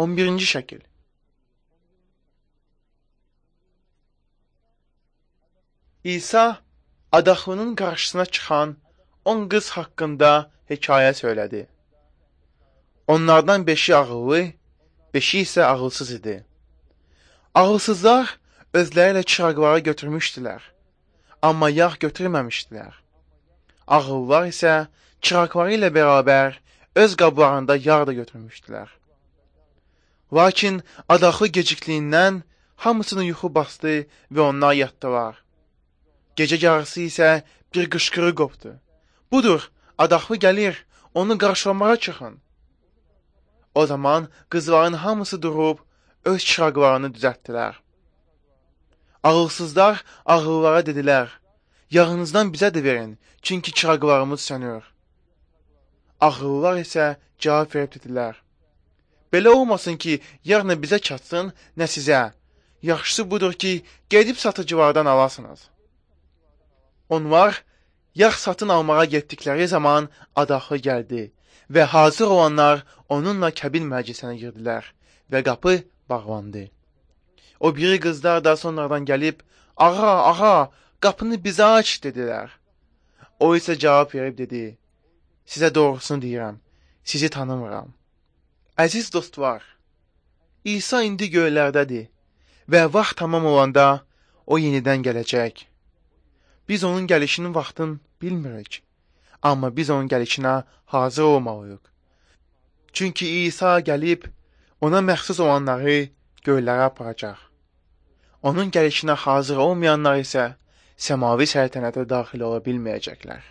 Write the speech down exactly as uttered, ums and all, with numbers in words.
on birinci şəkil. İsa adaxlının qarşısına çıxan on qız haqqında hekayə söylədi. Onlardan beşi ağıllı, beşi isə ağılsız idi. Ağılsızlar özləri ilə çıraqları götürmüşdülər, amma yağ götürməmişdilər. Ağıllılar isə çıraqları ilə bərabər öz qablarında yağ da götürmüşdülər. Lakin adaxlı gecikliyindən hamısını yuxu bastı və onlar yatdılar. Gecə yarısı isə bir qışqırıq qopdu. Budur, adaxlı gəlir, onu qarşılamağa çıxın. O zaman qızların hamısı durub öz çıraqlarını düzəltdilər. Ağılsızlar ağıllılara dedilər, yağınızdan bizə də verin, çünki çıraqlarımız sönür. Ağıllılar isə cavab verib dedilər, belə olmasın ki, yağ nə bizə çatsın, nə sizə. Yaxşısı budur ki, gedib satıcılardan alasınız. Onlar yağ satın almağa getdikləri zaman adaxlı gəldi və hazır olanlar onunla kəbin məclisinə girdilər və qapı bağlandı. O biri qızlar da sonradan gəlib, ağa, ağa, qapını bizə aç, dedilər. O isə cavab verib dedi, sizə doğrusunu deyirəm, sizi tanımıram. Əziz dostlar, İsa indi göylərdədir və vaxt tamam olanda o yenidən gələcək. Biz onun gəlişinin vaxtını bilmirik, amma biz onun gəlişinə hazır olmalıyıq. Çünki İsa gəlib, ona məxsus olanları göylərə aparacaq. Onun gəlişinə hazır olmayanlar isə səmavi səltənətə daxil ola bilməyəcəklər.